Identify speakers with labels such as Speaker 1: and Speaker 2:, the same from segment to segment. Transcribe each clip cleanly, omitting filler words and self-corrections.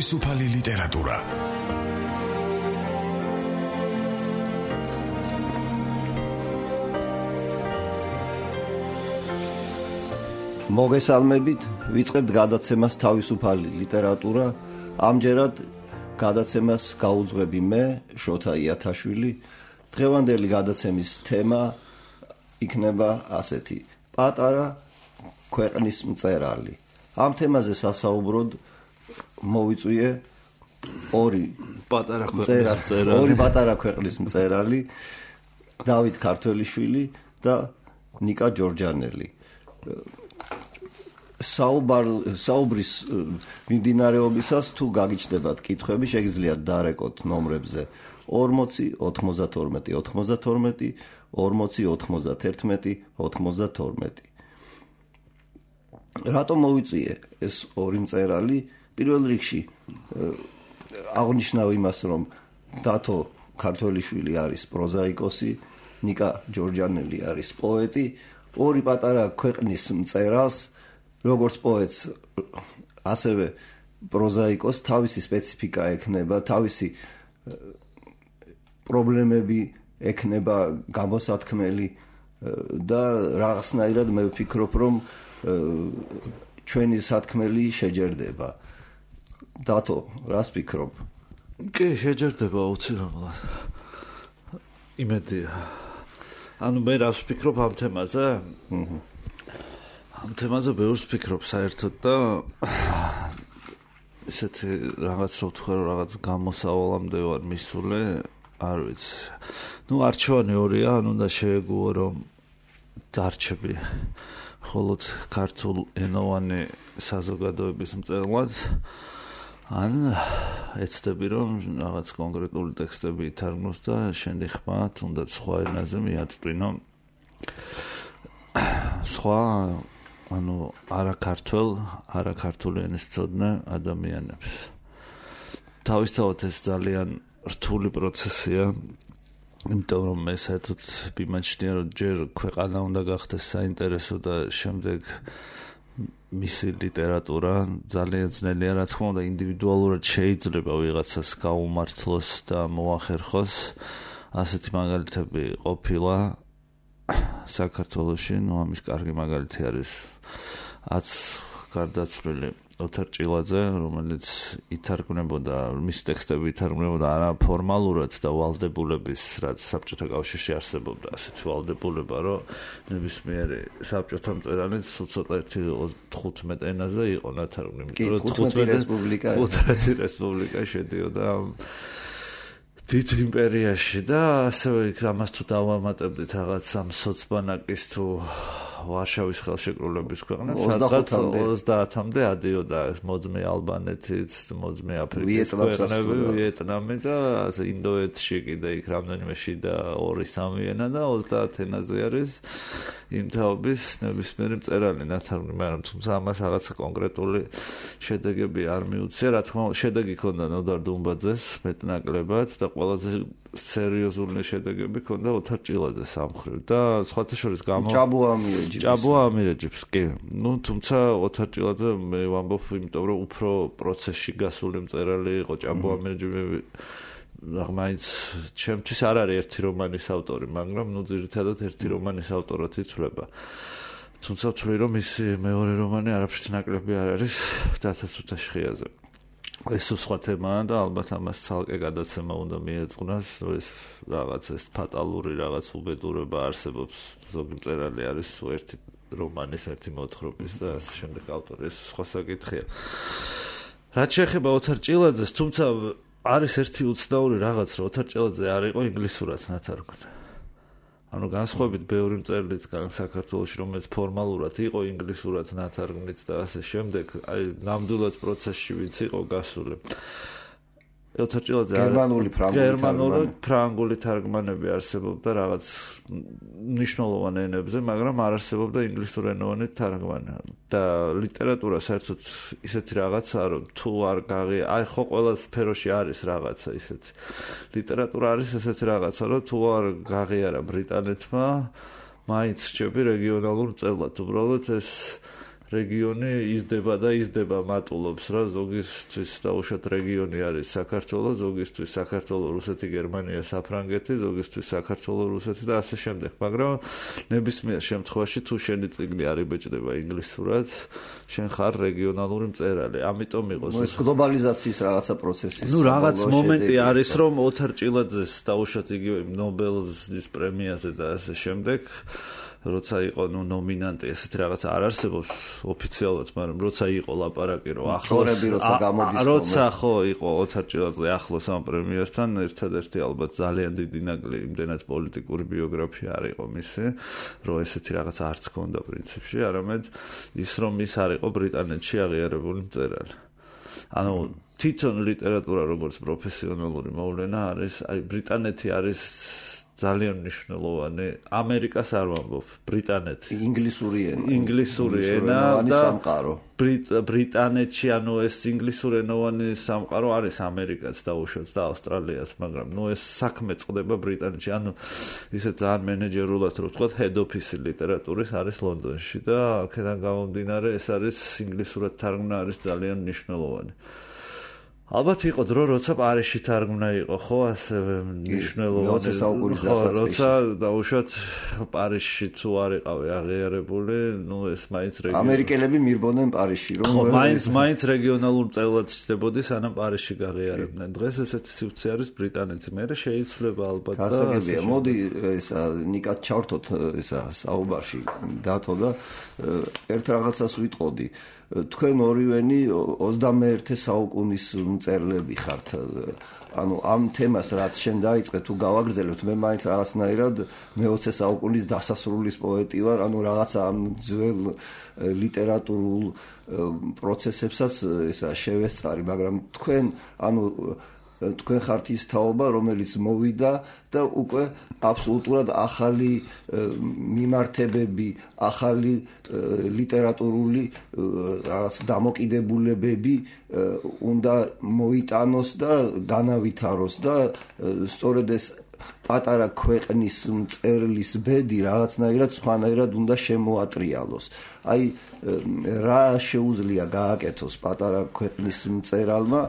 Speaker 1: თავისუფალი ლიტერატურა.
Speaker 2: მოგესალმებით, ვიწყებთ გადაცემას თავისუფალი ლიტერატურა. ამჯერად გადაცემას გაუძღვები მე, შოთა იათაშვილი. დღევანდელი გადაცემის თემა იქნება ასეთი: პატარა ქვეყნის მწერალი. ამ თემაზე სასაუბროდ მოვიწვიე ორი პატარა ქვეყნის მწერალი, დავით ქართველიშვილი და ნიკა ჯორჯანელი. საუბრის მიმდინარეობისას თუ გაგიჩნდებათ კითხვები, შეგიძლიათ დარეკოთ ნომრებზე 40 92 92 40 91 92. რატომ მოვიწვიე ეს ორი მწერალი? პირველ რიგში აღნიშნავ იმას, რომ დათო ქართველიშვილი არის პროზაიკოსი, ნიკა ჯორჯანელი არის პოეტი. ორი პატარა ქვეყნის მწერალს, როგორც პოეტს, ასევე პროზაიკოსს თავისი სპეციფიკა ექნება, თავისი პრობლემები ექნება გამოსათქმელი და რაღაცნაირად მე ვფიქრობ, რომ ჩვენი სათქმელი შეჯერდება. დათო, რას ფიქრობ?
Speaker 3: კი, შეჯერდება აუცილებლად. იმედია. ანუ მე რას ვფიქრობ ამ თემაზე? ამ თემაზე ბევრს ვფიქრობ საერთოდ და ესეთი რაღაც რო ვთქვა, რომ რაღაც გამოსავალამდე ვარ მისული, არ ვიცი. არჩევანი ორია, უნდა შეეგუო, რომ დარჩები მხოლოდ ქართულ ენოვანი საზოგადოების მწერლად, ან ეცდები, რომ რაღაც კონკრეტული ტექსტები ითარგმნოს და შენი ხმა თუნდაც სხვა ენაზე მიაწვინო სხვა, არაქართული ენის მცოდნე ადამიანებს. თავისთავად ეს ძალიან რთული პროცესია, იმიტომ რომ მე საერთოდ მიმაჩნია, რომ ჯერ ქვეყანა უნდა გახდეს საინტერესო და შემდეგ მისი ლიტერატურა. ძალიან ძნელია, რა თქმა უნდა, ინდივიდუალურად შეიძლება ვიღაცას გაუმართლოს და მოახერხოს. ასეთი მაგალითები ყოფილა საქართველოში. ამის კარგი მაგალითი არის გარდაცვლილი ოთარ ჭილაძე, რომელიც ითარგმნებოდა, მისი ტექსტები ითარგმნებოდა არა ფორმალურად და ვალდებულების, რაც საბჭოთა კავშირში არსებობდა, ასეთი ვალდებულება, რომ ნებისმიერი საბჭოთა მწერალი ცოტა 15 ენაზე იყო ნათარგმნი.
Speaker 2: 15
Speaker 3: რესპუბლიკა შედიოდა დიდ იმპერიაში და ასევე ამას თუ დავამატებდით რაღაც ამ სოცბანაკის თუ ვარშავის ხელშეკრულების ქვეყნებს, 30-მდე ადიოდა მოძმე ალბანეთიც, მოძმე აფრიკის ქვეყნები, ვიეტნამი და ინდოეთში კიდე იქ რამდენიმე შიდა 2-3 ენა და 30 ენაზე არის იმ თაობის ნებისმიერი მწერალი ნათარგმნი, მაგრამ თუმცა ამას რაღაცა კონკრეტული შედეგები არ მიუცია. რა თქმა უნდა, შედეგი ჰქონდა ნოდარ დუმბაძეს მეტნაკლებად და ყველაზე სერიოზული შედეგები ჰქონდა ოთარ ჭილაძეს ამ მხრივ და სხვათა შორის ჭაბუა ამირეჯიბს, კი. თუმცა ოთარ ჭილაძე მე ვამბობ, იმიტომ რომ უფრო პროცესში გასული მწერალი იყო. ჭაბუა ამირეჯიბი მაინც ჩემთვის არ არის ერთი რომანის ავტორი, მაგრამ ძირითადად ერთი რომანის ავტორად ითვლება. თუმცა ვთვლი, რომ მისი მეორე რომანი არაფრით ნაკლები არ არის დათო თუთაშხიაზე. ეს სხვა თემაა და ალბათ ამას ცალკე გადაცემა უნდა მიეძღვნას. ეს რაღაც ეს ფატალური რაღაც უბედურება არსებობს. ზოგი მწერალი არის ერთი რომანის, ერთი მოთხრობის და ასე შემდეგ ავტორი. ეს სხვა საკითხია. რაც შეეხება ოთარ ჭილაძეს, თუმცა არის ერთი უცნაური რაღაც, რომ ოთარ ჭილაძე არ იყო ინგლისურად ნათარგმნი. განსხვავებით ბევრი მწერლიც საქართველოში, რომელიც ფორმალურად იყო ინგლისურად ნათარგმნიც და ასე შემდეგ, ნამდვილად პროცესში ვინც იყო გასული. ოთარ ჭილაძე გერმანული, ფრანგული თარგმანები არსებობდა რაღაც მნიშვნელოვან ენებზე, მაგრამ არ არსებობდა ინგლისურენოვანი თარგმანი. და ლიტერატურა საერთოდ ისეთი რაღაცაა, რომ თუ არ ხო ყველა სფეროში არის რაღაცა ისეთი. ლიტერატურა არის ესეთი რაღაცა, რომ თუ არ გაღიარა ბრიტანეთმა, მაინც რჩები რეგიონალურ მწერლად. უბრალოდ ეს რეგიონი იზრდება მატულობს რა ზოგისთვის დაუშვათ რეგიონი არის საქართველოს ზოგისთვის საქართველოს რუსეთი გერმანია საფრანგეთი ზოგისთვის საქართველოს რუსეთი და ასე შემდეგ მაგრამ ნებისმიერ შემთხვევაში თუ შენი წიგნი არ იბეჭდება ინგლისურად შენ ხარ რეგიონალური მწერალი ამიტომ იყოს
Speaker 2: ეს გლობალიზაციის რაღაცა პროცესი
Speaker 3: რაღაც მომენტი არის რომ ოთარ ჭილაძეს დაუშვათ იგივე ნობელის პრემიაზე და ასე შემდეგ როცა იყო ნომინანტი ესეთი რაღაც არ არსებობს ოფიციალურად, მაგრამ როცა იყო ლაპარაკი რომ
Speaker 2: ახლოს
Speaker 3: როცა ხო იყო ოთარ ჭილაძე ახლოს ამ პრემიასთან ერთადერთი ალბათ ძალიან დიდი ნაკლი იმდენად პოლიტიკური ბიოგრაფია არ იყო მისი, რომ ესეთი რაღაც არც ქონდა პრინციპში, არამედ ის რომ ის არ იყო ბრიტანეთში აღიარებული მწერალი. ანუ თვითონ ლიტერატურა როგორც პროფესიონალური მოვლენა არის, აი ბრიტანეთი არის ძალიან მნიშვნელოვანი ამერიკას არ ვამბობ ბრიტანეთი ინგლისური ენა და
Speaker 2: სამყარო
Speaker 3: ბრიტანეთში ანუ ეს ინგლისურენოვანი სამყარო არის ამერიკაც დაუშვათ და ავსტრალიაც მაგრამ ეს საქმე წყდება ბრიტანეთში ანუ ისე ძალიან მენეჯერულად რო ვთქვათ head office ლიტერატურის არის ლონდონში და აქედან გამომდინარე ეს არის ინგლისურად თარგმნა არის ძალიან მნიშვნელოვანი ალბათ იყო დრო როცა პარიზში თარგმნა იყო ხო ასევე მნიშვნელოვანი როცა დაუშვათ პარიზში თუ არ იყავი აღიარებული ეს მაინც რეგიონი
Speaker 2: ამერიკელები მირბოდნენ პარიზში
Speaker 3: რომ ხო მაინც რეგიონალურ მწერლად ჩნდებოდი სანამ პარიზში გაღიარებდნენ დღეს ესეთი სივრცე არის ბრიტანეთში მე შეიძლება ალბათ და
Speaker 2: გასაგებია მოდი ესა ნიკად ჩავრთოთ ესა საუბარში დათო და ერთ რაღაცას ვიტყოდი თქვენ ორივენი 21 საუკუნის მწერლები ხართ ანუ ამ თემას რაც შენ დაიწყე თუ გავაგრძელებთ მე მაინც რაღაცნაირად მე-20 საუკუნის დასასრულის პოეტი ვარ ანუ რაღაცა ამ ძველ ლიტერატურულ პროცესებსაც ესა შევესწარი მაგრამ თქვენ ანუ თქვენ ხართ ის თაობა რომელიც მოვიდა და უკვე აბსოლუტურად ახალი მიმართებები ახალი ლიტერატურული რაღაც დამოკიდებულებები უნდა მოიტანოს და განავითაროს და სწორედ ეს პატარა ქვეყნის მწერლის ბედი რაღაცნაირად სხვანაირად უნდა შემოატრიალოს. აი რა შეუძლია გააკეთოს პატარა ქვეყნის მწერალმა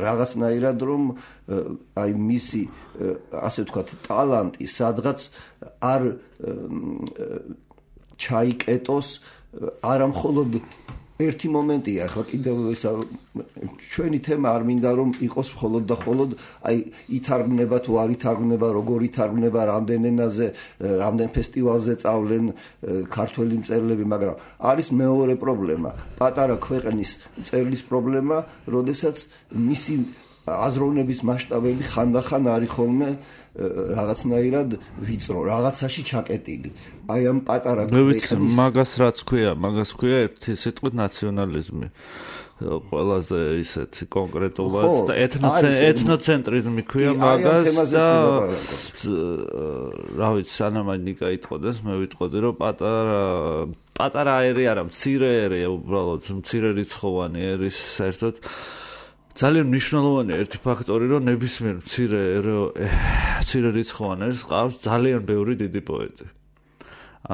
Speaker 2: რაღაცნაირად რომ აი მისი ასე ვთქვათ ტალანტი სადღაც არ ჩაიკეტოს არა მხოლოდ ერთი მომენტია ხო კიდევ ეს ჩვენი თემა არ მინდა რომ იყოს მხოლოდ და მხოლოდ აი ითარგმნება თუ არ ითარგმნება როგორ ითარგმნება რამდენ ენაზე რამდენ ფესტივალზე წავლენ ქართველი მწერლები მაგრამ არის მეორე პრობლემა პატარა ქვეყნის მწერლის პრობლემა როდესაც მისი აზროვნების მასშტაბები ხანდახან არის ხოლმე რაღაცნაირად ვიწრო რაღაცაში ჩაკეტილი აი ამ პატარა
Speaker 3: ქვეყნის მაგას რაც ქვია მაგას ქვია ერთი სიტყვით ნაციონალიზმი ყველაზე ისეთი კონკრეტულად და ეთნოცენტრიზმი ქვია მაგას და რა ვიცი სანამ ნიკა იტყოდეს მე ვიტყოდი რომ პატარა ერი არა მცირე ერი უბრალოდ მცირე რიცხოვანი ერის საერთოდ ძალიან მნიშვნელოვანია ერთი ფაქტორი რომ ნებისმიერ მცირე რიცხოვან ერს ყავს ძალიან ბევრი დიდი პოეტი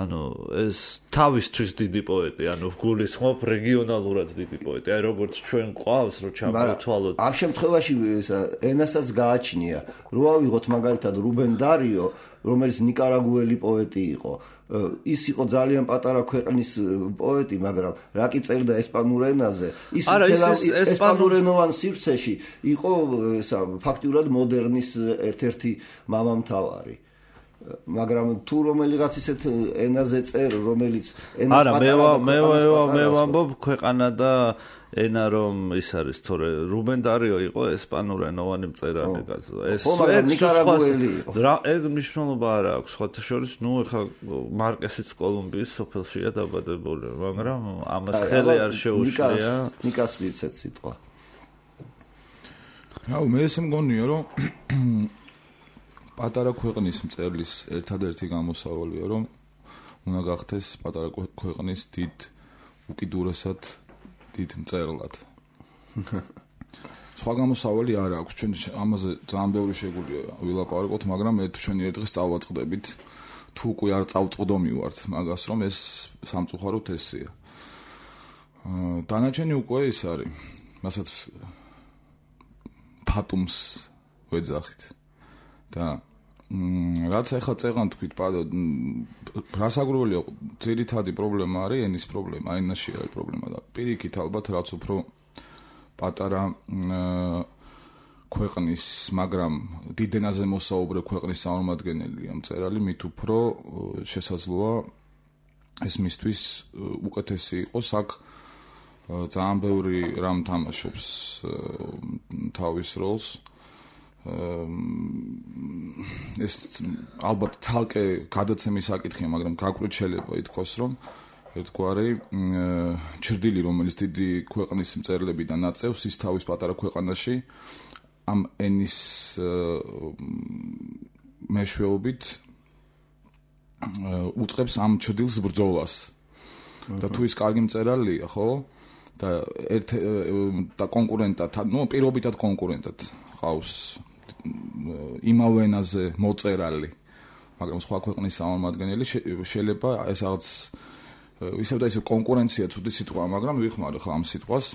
Speaker 3: ანუ ეს თავისთვის დიდი პოეტი ანუ გულისხმობ რეგიონალურად დიდი პოეტი აი როგორც ჩვენ ყავს რომ ჩამოვთვალოთ
Speaker 2: ამ შემთხვევაში ენასაც გააჩნია რო ავიღოთ მაგალითად რუბენ დარიო რომელიც ნიკარაგუელი პოეტი იყო ის იყო ძალიან პატარა ქვეყნის პოეტი მაგრამ რა კი წერდა ესპანურ ენაზე ის ესპანურენოვან სივრცეში იყო ესა ფაქტიურად მოდერნის ერთ-ერთი მამამთავარი მაგრამ თუ რომელიღაც ისეთ ენაზე წერ რომელიც
Speaker 3: ენას პატარა მე ვამბობ ქვეყანა და ენა რომ ის არის თორე რუბენ დარიო იყო ესპანურენოვანი მწერალი კაცო ეს
Speaker 2: ნიკარაგუელი
Speaker 3: ეს მნიშვნელობა არ აქვს სხვათა შორის ნუ ეხა მარკესიც კოლუმბიის სოფელშია დაბადებული მაგრამ ამას ხელი არ შეუშვია
Speaker 2: ნიკას მივცეთ სიტყვა
Speaker 1: რაუ მე ესე მგონია რომ პატარა ქვეყნის მწერლის ერთადერთი გამოსავალია რომ უნდა გახდეს პატარა ქვეყნის დიდ უკიდურესად დიდ მწერლად. სხვა გამოსავალი არ აქვს ჩვენ ამაზე ძალიან ბევრი შეგვიძლია ვილაპარაკოთ, მაგრამ მე თუ ჩვენი ერთ დღეს წავაწყდებით თუ უკვე არ წავწყდომივართ მაგას, რომ ეს სამწუხაროდ ესეა. დანარჩენი უკვე ის არის, მასაც ფატუმს ვეძახით და რაც ახლა წეღან თქვით, რასაკვირველია, ძირითადი პრობლემა არის ენის პრობლემა, ენაში არის პრობლემა და პირიქით ალბათ რაც უფრო პატარა ქვეყნის, მაგრამ დიდ ენაზე მოსაუბრე ქვეყნის წარმომადგენელია მწერალი, მით უფრო შესაძლოა ეს მისთვის უკეთესი იყოს. აქ ძალიან ბევრი რამ თამაშობს თავის როლს. ეს ალბათ ცალკე გადაცემის საკითხია, მაგრამ გაკვირვით შეიძლება ითქვას, რომ ერთგვარი ჩრდილი, რომელიც დიდი ქვეყნის მწერლებიდან აწევს, ის თავის პატარა ქვეყანაში ამ ენის მეშვეობით უწყებს ამ ჩრდილს ბრძოლას. და თუ ის კარგი მწერალია, ხო? და კონკურენტად, პირობითად კონკურენტად ყავს იმავე ენაზე მოწერალი, მაგრამ სხვა ქვეყნის წარმომადგენელი, შეიძლება ეს რაღაც ისევ და ისევ კონკურენცია ცუდი სიტყვაა, მაგრამ ვიხმარე ხო ამ სიტყვას.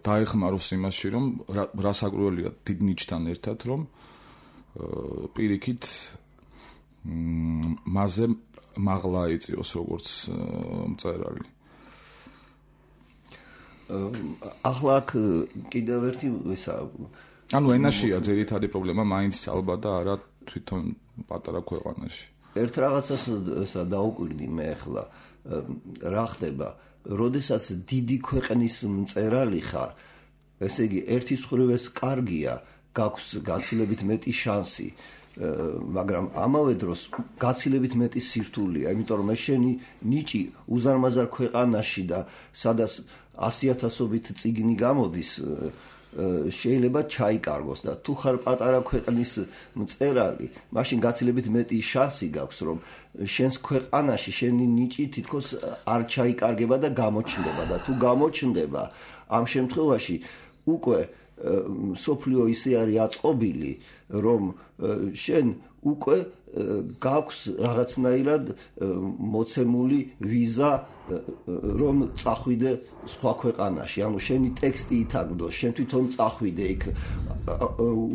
Speaker 1: დაეხმაროს იმაში, რომ რასაკვირველია დიდ ნიჩთან ერთად, რომ პირიქით მასზე მაღლა იწიოს როგორც მწერალი.
Speaker 2: ახლა აქ კიდევ ერთი ისა
Speaker 1: ანუ ენაშია ძირითადი პრობლემა, მაინც ალბათ და არა თვითონ პატარა ქვეყანაში.
Speaker 2: ერთ რაღაცას დაუკვირდი მე ახლა, რა ხდება, როდესაც დიდი ქვეყნის მწერალი ხარ, ესე იგი ერთის მხრივ ეს კარგია, გაქვს გაცილებით მეტი შანსი, მაგრამ ამავე დროს გაცილებით მეტი სირთულეა, იმიტომ რომ შენი ნიჭი უზარმაზარ ქვეყანაში და სადაც 100,000-ობით წიგნი გამოდის, შეიძლება ჩაიკარგოს და თუ ხარ პატარა ქვეყნის მწერალი, მაშინ გაცილებით მეტი შანსი გაქვს, რომ შენს ქვეყანაში შენი ნიჭი თითქოს არ ჩაიკარგება და გამოჩნდება და თუ გამოჩნდება, ამ შემთხვევაში უკვე სოფლიო ისე არის აწყობილი, რომ შენ უკვე გაქვს რაღაცნაირად მოცემული ვიზა, რომ წახვიდე სხვა ქვეყანაში. ანუ შენი ტექსტი ითარგმნოს, შენ თვითონ წახვიდე იქ,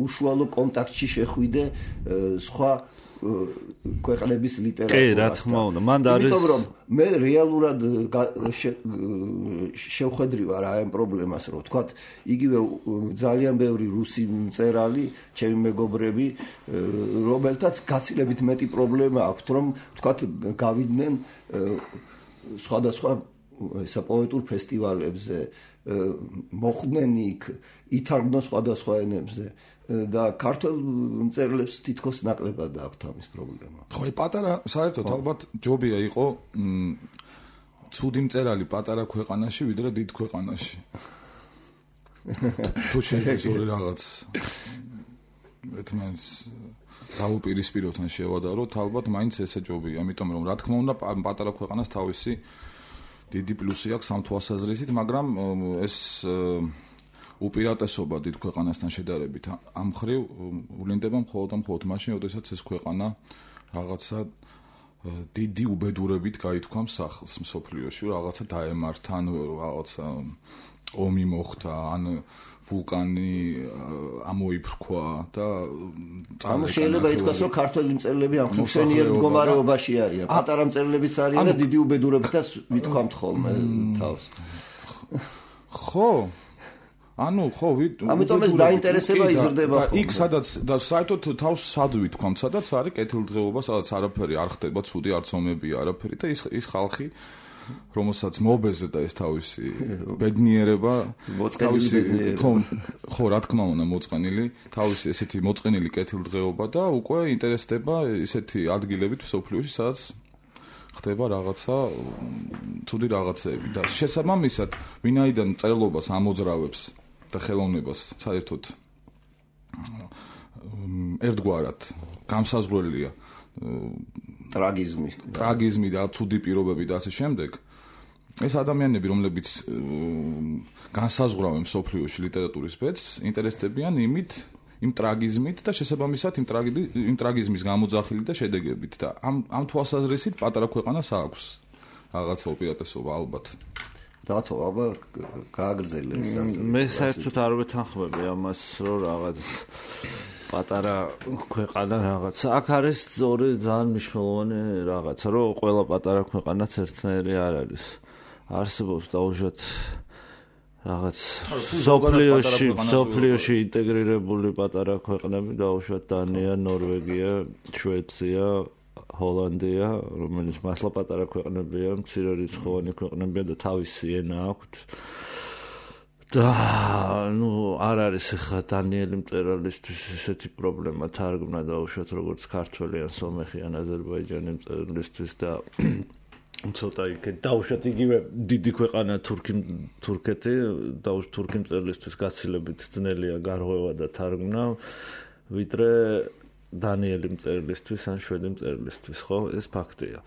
Speaker 2: უშუალო კონტაქტში შეხვიდე სხვა ქვეყნების ლიტერატურასთან.
Speaker 3: კი, რა თქმა უნდა, მან და არის.
Speaker 2: იმიტომ რომ მე რეალურად შევხედრი ვარ ამ პრობლემას, რომ თქვა, იგივე ძალიან ბევრი რუსი მწერალი, ჩემი მეგობრები, რომელთაც გაცილებით მეტი პრობლემა აქვს, რომ თქვა, გავიდნენ სხვადასხვა ესა პოეტურ ფესტივალებზე, მოხვდნენ იქ, ითარგმნონ სხვადასხვა ენებზე. და ქართულ მწერლებს თითქოს ნაკლებად აქვს ამის პრობლემა.
Speaker 1: ხო, პატარა, საერთოდ ალბათ ჯობია იყო ცუდი მწერალი პატარა ქვეყანაში, ვიდრე დიდ ქვეყანაში. თუ შეიძლება რაღაც ერთმანეთს დაუპირისპიროთ ან შევადაროთ, ალბათ მაინც ესე ჯობია, ამიტომ რომ რა თქმა უნდა პატარა ქვეყანას თავისი დიდი პლუსი აქვს ამ თვალსაზრისით, მაგრამ ეს უპირატესობა დიდ ქვეყანასთან შედარებით ამ მხრივ ვლინდება მხოლოდ მაშინ, როდესაც ეს ქვეყანა რაღაცა დიდი უბედურებით გაითქვამს სახლს მსოფლიოში, რაღაცა დაემართა, ან რაღაცა ომი მოხდა, ან ვულკანი ამოიფრქვა და
Speaker 2: შეიძლება ითქვას, რომ ქართველი მწერლები ამ ხსენიერ მდგომარეობაში არიან. პატარა მწერლებიც არიან და დიდი უბედურებითაც ვითქვამთ ხოლმე თავს.
Speaker 1: ხო, ანუ ხო,
Speaker 2: ამიტომ ეს დაინტერესება იზრდება.
Speaker 1: იქ სადაც და საერთოდ თავს სად ვითქვამთ, სადაც არის კეთილდღეობა, სადაც არაფერი არ ხდება, ცუდი არც ომებია, არაფერი და ის ხალხი, რომელსაც მობეზრდა ეს თავისი ბედნიერება, თავისი ხო, რა თქმა უნდა, მოწყენილი, თავისი ესეთი მოწყენილი კეთილდღეობა და უკვე ინტერესდება ესეთი ადგილებით მსოფლიოში, სადაც ხდება რაღაცა ცუდი რაღაცები და შესაბამისად, ვინაიდან წერლობას ამოძრავებს და ხელოვნებას საერთოდ ერთგვარად გამსაზღვრელია ტრაგიზმი და ცუდი პირობები და ასე შემდეგ. ეს ადამიანები, რომლებიც განსაზღვრავენ მსოფლიოში ლიტერატურის ბედს, ინტერესდებიან იმით, იმ ტრაგიზმით და შესაბამისად იმ ტრაგიზმის გამოძახილი და შედეგებით და ამ თვალსაზრისით პატარა ქვეყანას აქვს რაღაცა უპირატესობა ალბათ.
Speaker 2: დათო, აბა გააგრძელე ეს ასე.
Speaker 3: მე საერთოდ არ ვეთანხმები ამას, რომ რაღაც პატარა ქვეყანა რაღაცა. აქ არის ორი ძალიან მნიშვნელოვანი რაღაცა, რომ ყველა პატარა ქვეყანაც ერთნაირი არ არის. არსებობს დაუშვათ რაღაც სოფლიოში ინტეგრირებული პატარა ქვეყნები, დაუშვათ დანია, ნორვეგია, შვეიცარია, ჰოლანდია, რომელიც მართლა პატარა ქვეყნებია, მცირე რიცხოვანი ქვეყნებია და თავისი ენა აქვთ. და არ არის ახლა დანიელი მწერალისთვის ესეთი პრობლემა თარგმნა დაუშვათ როგორც ქართველი ან სომეხი ან აზერბაიჯანი მწერალისთვის და ცოტა იქ დაუშვათ იგივე დიდი ქვეყანა თურქეთი თურქი მწერლისთვის გაცილებით ძნელია გარღვევა და თარგმნა ვიდრე დანიელი მწერლისთვის ან შვედი მწერლისთვის, ხო? ეს ფაქტია.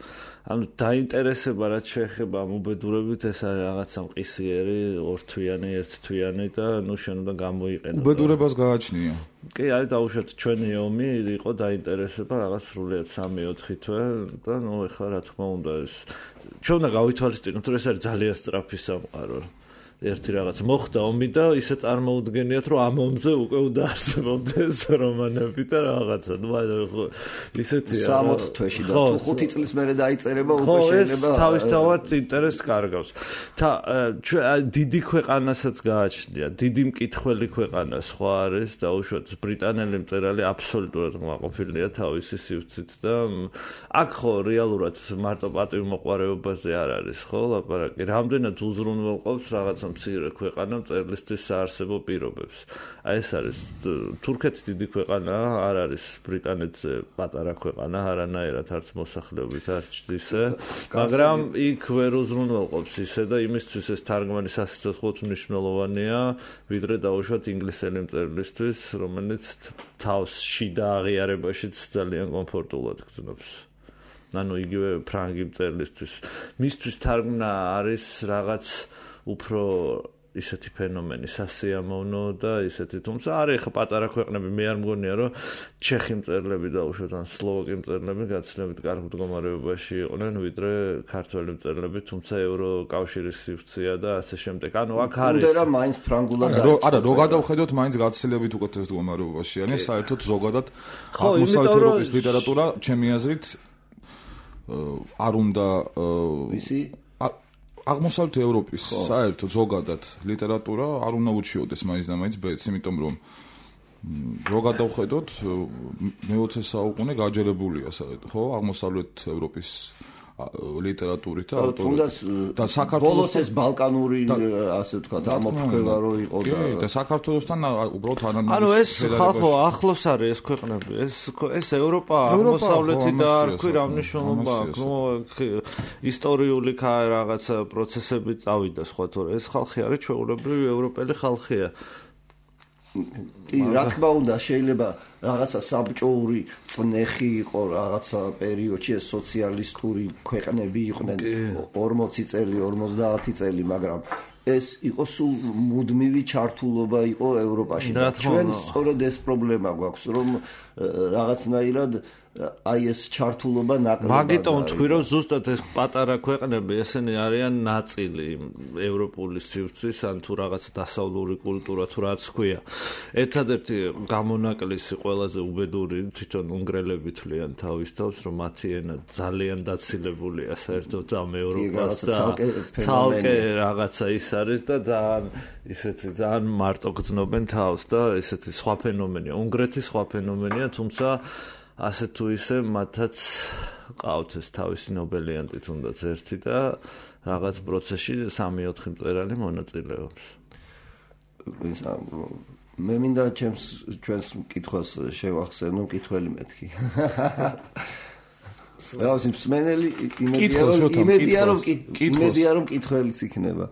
Speaker 3: ანუ დაინტერესება რაც შეეხება ამ უბედურებით ეს არის რაღაცა მყისიერი, ორთვიანი, ერთთვიანი და ნუ შენ უნდა გამოიყენო.
Speaker 1: უბედურებას გააჩნია.
Speaker 3: კი, აი დაუშვათ ჩვენი ომი იყო დაინტერესება რაღაც სრულიად 3-4 თვე და ნუ ეხლა რა თქმა უნდა ეს ჩვენ უნდა გავითვალისწინოთ, რომ ეს არის ძალიან სწრაფი სამყარო. ერთი რაღაც მოხდა ომი და ისე წარმოუდგენიათ რომ ამ ომზე უკვე უნდა არსებობდეს რომანები და რაღაცა ნუ ისეთია
Speaker 2: 60 თვეში და თუ 5 წლის მერე დაიწერება უკვე შეიძლება
Speaker 3: ეს თავისთავად ინტერესს კარგავს და დიდი ქვეყანასაც გააჩნია დიდი მკითხველი ქვეყანა სხვა არის დაუშვათ ბრიტანელი მწერალი აბსოლუტურად მოაყოფილია თავისი სივრცით და აქ ხო რეალურად მარტო პატივმოყვარეობაზე არ არის ხო ლაპარაკი რამდენად უზრუნველყოფს რაღაცა მცირე ქვეყანა მწერლისთვის საარსებო პირობებს. აი ეს არის თურქეთი დიდი ქვეყანაა, არ არის ბრიტანეთზე პატარა ქვეყანა, არანაირად არც მოსახლეობით არც ისე, მაგრამ იქ ვერ უზრუნველყოფს ისე და იმისთვის ეს თარგმანი სასიცოცხლოდ მნიშვნელოვანია, ვიდრე დაუშვათ ინგლისელი მწერლისთვის, რომელიც თავს შიდა აღიარებაშიც ძალიან კომფორტულად გრძნობს. ანუ იგივე ფრანგი მწერლისთვის. მისთვის თარგმნა არის რაღაც უფრო ისეთი ფენომენი სასიამოვნო და ისეთი თუმცა არის ხა პატარა ქვეყნები მე არ მგონია რომ ჩეხი მწერლები დაუშვათ ან სლოვაკი მწერლები გაცილებით კარგ მდგომარეობაში იყვნენ ვიდრე ქართველი მწერლები თუმცა ევროკავშირის სივრცეა და ასე შემდეგ ანუ აქ არის
Speaker 2: უნდა რა მაინც ფრანგულად
Speaker 1: არა რო გადავხედოთ მაინც გაცილებით უკეთეს მდგომარეობაში ან საერთოდ ზოგადად აღმოსავლეთ ევროპის ლიტერატურა ჩემი აზრით არ უნდა
Speaker 2: ისი
Speaker 1: აღმოსავლეთ ევროპის საერთოდ ზოგადად ლიტერატურა არ უნდა უჩიოდეს მაინც და მაინც ბედს, იმიტომ რომ რო გადავხედოთ მე-20 საუკუნე გაჯერებულია საერთოდ, ხო, აღმოსავლეთ ევროპის ლიტერატურით და ავტორით
Speaker 2: და საქართველოს ეს ბალკანური ასე ვთქვათ ამოფრქვევა რო იყო
Speaker 1: და საქართველოსთან უბრალოდ თანამედროვე
Speaker 3: ანუ ეს ხალხო ახლოს არის ეს ქვეყნები ეს ევროპა აღმოსავლეთი და არქვი რა მნიშვნელობა აქვს ნუ ისტორიული რაღაცა პროცესები წავიდა სხვა თორე ეს ხალხი არის ჩვეულებრივი ევროპელი ხალხია
Speaker 2: კი, რა თქმა უნდა, შეიძლება რაღაცა საბჭოური წნეხი იყო რაღაცა პერიოდში ეს სოციალისტური ქვეყნები იყვნენ 40 წელი, 50 წელი, მაგრამ ეს იყო სულ მუდმივი ჩართულობა იყო ევროპაში და ჩვენ სწორედ ეს პრობლემა გვაქვს, რომ რაღაცნაირად აი ეს ჩართულობა ნაკლებად
Speaker 3: მაგიტომ თქვი რომ ზუსტად ეს პატარა ქვეყნები ესენი არიან ნაწილი ევროპული სივრცის ან თუ რაღაც დასავლური კულტურა თუ რაც ქვია ერთადერთი გამონაკლისი ყველაზე უბედური თვითონ უნგრელები თვლიან თავის თავს რომ მათი ენა ძალიან დაცილებულია საერთოდ ამ ევროპას და ცალკე რაღაცა ის არის და ძალიან ისეთი ძალიან მარტო გრძნობენ თავს და ესეთი სხვა ფენომენია უნგრეთის სხვა ფენომენია თუმცა ასე თუ ისე მათაც ყავთ ეს თავისი ნობელიანტი თუნდაც ერთი და რაღაც პროცესში 3-4 მწერალი მონაწილეობს.
Speaker 2: მე მინდა ჩვენს მკითხვას შევახსენო მკითხველი მეთქი. რაღაც მსმენელი იმედია რომ მკითხველიც იქნება.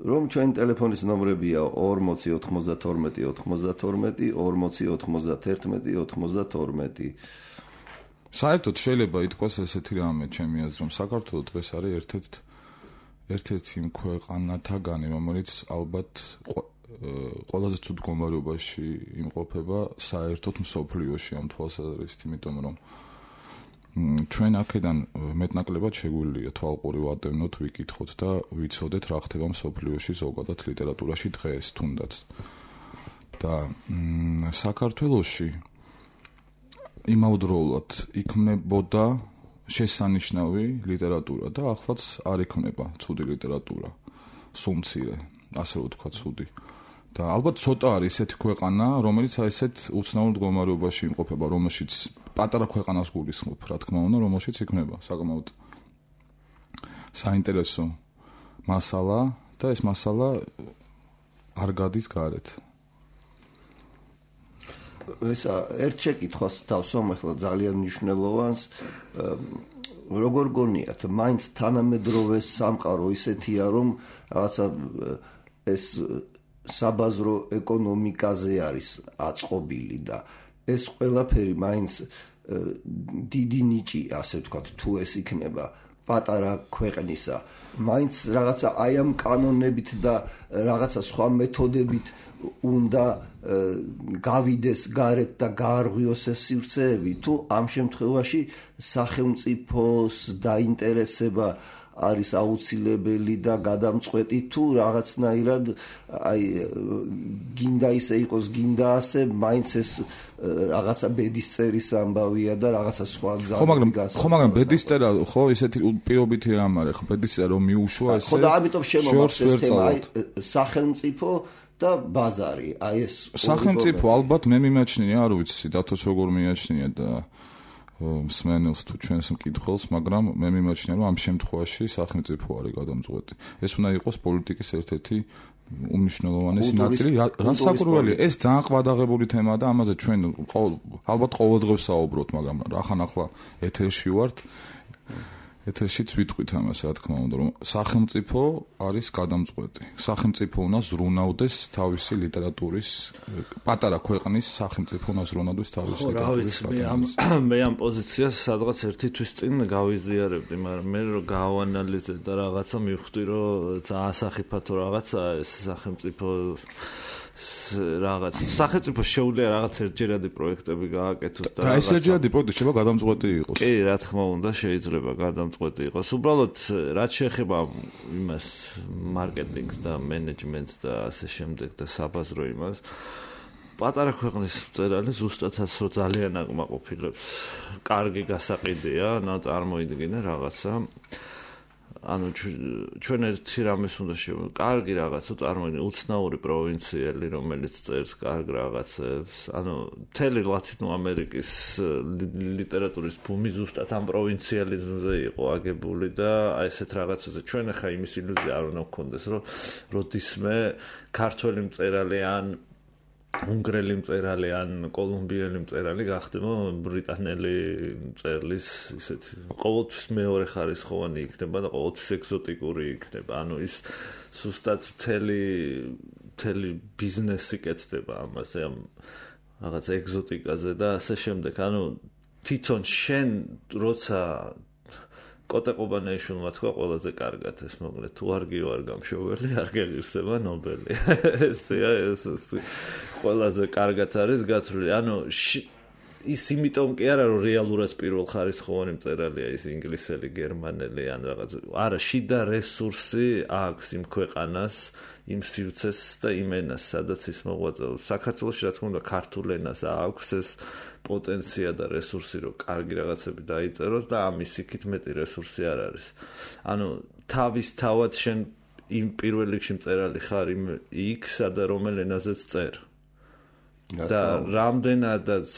Speaker 2: რომ ჩვენ ტელეფონის ნომრებია 40 92 92 40 91 92
Speaker 1: საერთოდ შეიძლება ითქვას ესეთი რამე ჩემი აზრით რომ საქართველოს დღეს არის ერთ-ერთი იმ ქვეყანათაგანი რომელიც ალბათ ყველაზე ცუდ მდგომარეობაში იმყოფება საერთოდ მსოფლიოში ამ თვალსაზრისით, იმიტომ რომ ჩვენ აქედან მეტნაკლებად შეგვიძლია თვალყური ვადევნოთ, ვიკითხოთ და ვიცოდეთ რა ხდება მსოფლიოში ზოგადად ლიტერატურაში დღეს თუნდაც. და საქართველოში იმავდროულად იქმნებოდა შესანიშნავი ლიტერატურა და ახლაც არ იქმნება ცუდი ლიტერატურა, სუმცირე, ასე ვთქვა ცუდი. და ალბათ ცოტა არის ესეთი ქვეყანა, რომელიც ესეთ უცნაურ მდგომარეობაში იმყოფება, რომელშიც პატარა ქვეყანას გულისხმობ, რა თქმა უნდა, რომელშიც იქნება საკმაოდ საინტერესო მასალა და ეს მასალა არ გადის გარეთ.
Speaker 2: ესა ერთ შეკითხვას დავსვამ ახლა ძალიან მნიშვნელოვანს, როგორ გონიათ, მაინც თანამედროვე სამყარო ისეთია, რომ რაღაცა ეს საბაზრო ეკონომიკაზე არის აწყობილი და ეს ყველაფერი მაინც დიდი ნიჭი, ასე ვთქვათ, თუ ეს იქნება პატარა ქვეყნისა, მაინც რაღაცა აი ამ კანონებით და რაღაცა სხვა მეთოდებით უნდა გავიდეს გარეთ და გაარღვიოს ეს სივრცეები, თუ ამ შემთხვევაში სახელმწიფოს დაინტერესება არის აუცილებელი და გადამწყვეტი, თუ რაღაცნაირად აი გინდა ისე იყოს, გინდა ასე, მაინც ეს რაღაცა ბედისწერის ამბავია და რაღაცა სხვა გზები გასა.
Speaker 1: ხო, მაგრამ ბედისწერა ხო ისეთი პირობითი რამ არის, ხო ბედისწერა რომ მიუშვა ესე.
Speaker 2: ხო და ამიტომ შემოვარს ეს თემა, აი სახელმწიფო და ბაზარი, აი ეს
Speaker 1: სახელმწიფო ალბათ მე მიმაჩნია, არ ვიცი, დათოს როგორ მიაჩნია და მსმენელს თუ ჩვენს მკითხველს, მაგრამ მე მიმაჩნია, რომ ამ შემთხვევაში სახელმწიფო არის გადამწყვეტი. ეს უნდა იყოს პოლიტიკის ერთ-ერთი უმნიშვნელოვანესი ნაწილი, რა საკურველია. ეს ძალიან ყვადაღებული თემაა და ამაზე ჩვენ ალბათ ყოველდღე ვსაუბრობთ, მაგრამ რახან ახლა ეთერში ვართ, ეთერშიც ვიტყვით ამას, რა თქმა უნდა, რომ სახელმწიფო არის გადამწყვეტი. სახელმწიფო უნდა ზრუნავდეს თავისი ლიტერატურის, პატარა ქვეყნის სახელმწიფო უნდა ზრუნავდეს თავისი ლიტერატურის.
Speaker 3: მე ამ პოზიციას სადღაც ერთი თვის წინ გავიზიარებდი, მაგრამ მე რო გავანალიზე და რაღაცა მივხვდი, რომ ძალიან სახიფათო რაღაცა ეს სახელმწიფო რაღაც სახელმწიფო შეუძლია რაღაც ერთჯერადი პროექტები გააკეთოს
Speaker 1: და ეს ერთჯერადი პროექტი შეიძლება გადამწყვეტი იყოს.
Speaker 3: კი, რა თქმა უნდა, შეიძლება გადამწყვეტი იყოს. უბრალოდ რაც შეეხება იმას მარკეტინგს და მენეჯმენტს და ასე შემდეგ და საბაზრო იმას, პატარა ქვეყნის მწერალი ზუსტადაც რო ძალიან აკმაყოფილებს. კარგი გასაყიდია, წარმოიდგინე რაღაცა ანუ ჩვენ ერთი რამეს უნდა შევეცდოთ. კარგი რაღაცა წარმოიდგინე უცნაური პროვინციელი, რომელიც წერს კარგ რაღაცებს. ანუ მთელი ლათინო ამერიკის ლიტერატურის ბუმი ზუსტად ამ პროვინციალიზმზე იყო აგებული და აი ესეთ რაღაცაზე ჩვენ ახლა იმის ილუზია არ უნდა გქონდეს, რომ როდისმე ქართველი მწერალი ან უნგრელი მწერალი ან კოლუმბიელი მწერალი გახდება ბრიტანელი მწერლის ისეთი ყოველთვის მეორე ხარისხოვანი იქნება და ყოველთვის ეგზოტიკური იქნება. ანუ ის ზუსტად მთელი ბიზნესი კეთდება ამაზე, ამ რაღაც ეგზოტიკაზე და ასე შემდეგ. ანუ თვითონ შენ როცა კოტე-ყუბანეიშვილმა თქვა ყველაზე კარგად ეს მოგლეთ, თუ არ გიوار გამშოველი, არ გეღირსება ნობელი. ეს ყველაზე კარგად არის გათვლილი. ანუ ის იმიტომ კი არა, რომ რეალურად პირველ ხარისხოვანი მწერალია ის ინგლისელი, გერმანელი ან რაღაც. არა, შიდა რესურსი აქვს იმ ქვეყანას, იმ სივრცეს და იმ ენას, სადაც ის მოღვაწეობს. საქართველოში რა თქმა უნდა ქართულ ენას აქვს ეს პოტენცია და რესურსი, რომ კარგი რაღაცები დაიწეროს და ამის იქით მეტი რესურსი არ არის. ანუ თავისთავად შენ იმ პირველ რიგში მწერალი ხარ იქ, სადა რომელ ენაზეც წერ. და რამდენადაც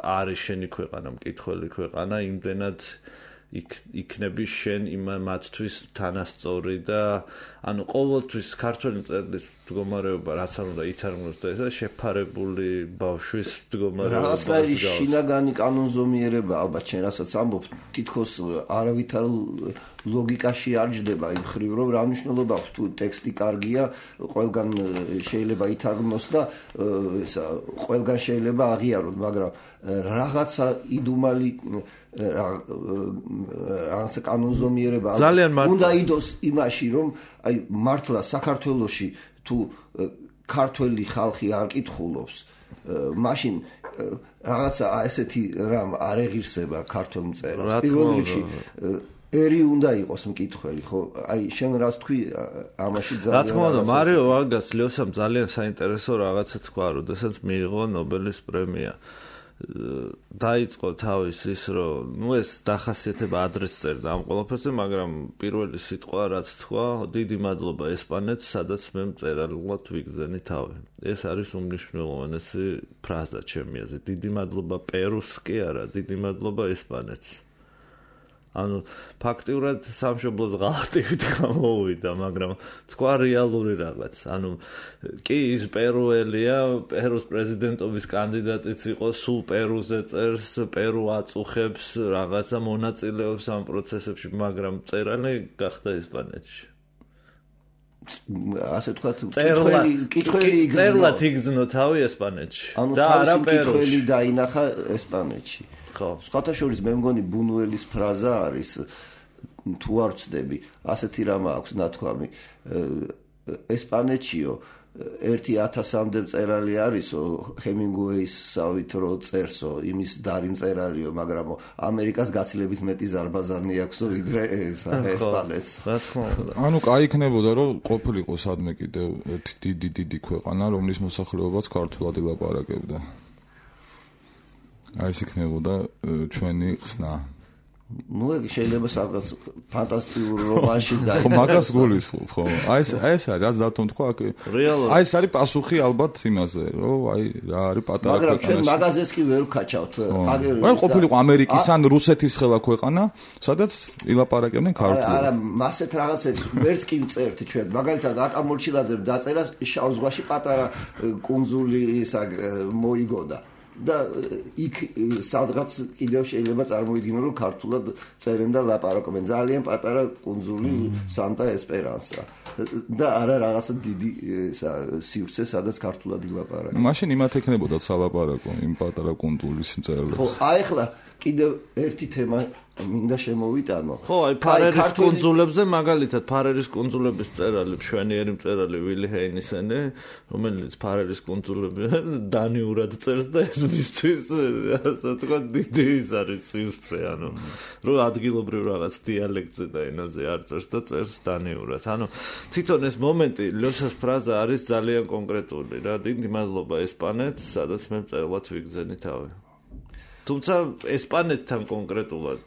Speaker 3: არის შენი ქვეყანა მკითხველი ქვეყანა, იმდენად იქნები შენ მათთვის თანასწორი და ანუ ყოველთვის ქართველი მწერლის მდგომარეობა რაც არ უნდა ითარგმნოს და ესა შეფარებული ბავშვის მდგომარეობა.
Speaker 2: რაღაცნაირი შინაგანი კანონზომიერება ალბათ შენ რასაც ამბობ, თითქოს არავითარ ლოგიკაში არ ჯდება იმ ხრივ, რომ რა მნიშვნელობა აქვს თუ ტექსტი კარგია, ყველგან შეიძლება ითარგმნოს და ესა ყველგან შეიძლება აღიაროს, მაგრამ რაღაცა იდუმალი რაღაცა კანონზომიერება უნდა იდოს იმაში, რომ აი მართლა საქართველოში თუ ქართველი ხალხი არ კითხულობს, მაშინ რაღაცა ესეთი რამ არ ეღირსება ქართულ მწერალს. პირველ რიგში ერი უნდა იყოს მკითხველი, ხო? აი შენ რას თქვი ამაში ძალიან
Speaker 3: რა თქმა უნდა, მარიო ვარგას ლიოსამ ძალიან საინტერესო რაღაცა თქვა, როდესაც მიიღო ნობელის პრემია. დაიწყო თავის ის რომ ეს დახასიათება ადრეც წერდა ამ ყველაფერზე, მაგრამ პირველი სიტყვა რაც თქვა, დიდი მადლობა ესპანეთს, სადაც მე მწერალულად ვიგზენი თავი. ეს არის უმნიშვნელოვანესი ფრაზა ჩემი აზრით. დიდი მადლობა პერუს კი არა, დიდი მადლობა ესპანეთს. ანუ ფაქტიურად სამშობლოს ღალატივით გამოუვიდა, მაგრამ თქვა რეალური რაღაც. ანუ კი ის პერუელია, პერუს პრეზიდენტობის კანდიდატიც იყო, სულ პერუზე წერს, პერუ აწუხებს, რაღაცა მონაწილეობს ამ პროცესებში, მაგრამ წერალი გახდა ესპანეთში.
Speaker 2: ასე თქვა,
Speaker 3: კითხველი წერლად იგზნო თავი ესპანეთში და არა პერუში.
Speaker 2: კითხველი დაინახა ესპანეთში. სხვათა შორის მე მგონი ბუნუელის ფრაზა არის, თუ არ ვცდები, ასეთი რამ აქვს ნათქვამი, ესპანეთშიო 1000-მდე მწერალი არისო, ჰემინგუეისავით რო წერსო, იმის დარი მწერალიო, მაგრამ ამერიკას გაცილებით მეტი ზარბაზანი აქვსო, ვიდრე ესპანეთს.
Speaker 1: ანუ კაი იქნებოდა, რომ ყოფილიყო სადმე კიდევ ერთი დიდი ქვეყანა, რომლის მოსახლეობაც ქართულად ილაპარაკებდა. აი ეს იქნებოდა ჩვენი ხსნა.
Speaker 2: ნუ ეგ შეიძლება სადღაც ფანტასტიკურ რომანში დაიწყოს.
Speaker 1: ხო, მაგას გულისხმობ, ხო. აი ეს არის, რაც დათომ თქვა, აი ეს არის პასუხი ალბათ იმაზე, რომ აი რა არის პატარა ქვეყანა.
Speaker 2: მაგრამ ჩვენ მაგაზეც კი ვერ ვქაჩავთ.
Speaker 1: აი ყოფილიყო ამერიკის ან რუსეთის ხელა ქვეყანა, სადაც ილაპარაკებდნენ ქართულად.
Speaker 2: არა, მასეთ რაღაცებს ვერც კი ვწერთ ჩვენ. მაგალითად, აკამორჩილაძემ დაწერა შავ ზღვაში პატარა კუნძული ისა მოიგონდა. და იქ სადღაც კიდევ შეიძლება წარმოიდგინო, რომ ქართულად წერენ და ლაპარაკობენ. ძალიან პატარა კუნძული სანტა ესპერანსა და არა რაღაცა დიდი სივრცე, სადაც ქართულად ილაპარაკებენ.
Speaker 1: მაშინ იმათ ექნებოდა სალაპარაკო იმ პატარა კუნძულის მწერლებს.
Speaker 2: ხო, აი ახლა კიდევ ერთი თემა მინდა შემოვიტანო.
Speaker 3: ხო, აი ფარერის კუნძულებზე, მაგალითად ფარერის კუნძულების მწერალი, მშვენიერი მწერალი ვილი ჰეინისენი, რომელიც ფარერის კუნძულები დანიურად წერს და ეს მისთვის, ასე ვთქვათ, დიდი ის არის სივრცე, ანუ რომ ადგილობრივ რაღაც დიალექტზე და ენაზე არ წერს და წერს დანიურად. ანუ თვითონ ეს მომენტი, ლიოსას ფრაზა არის ძალიან კონკრეტული რა. დიდი მადლობა ესპანეთს, სადაც მე მწერლად ვიგზენი თავი. თუმცა ესპანეთთან კონკრეტულად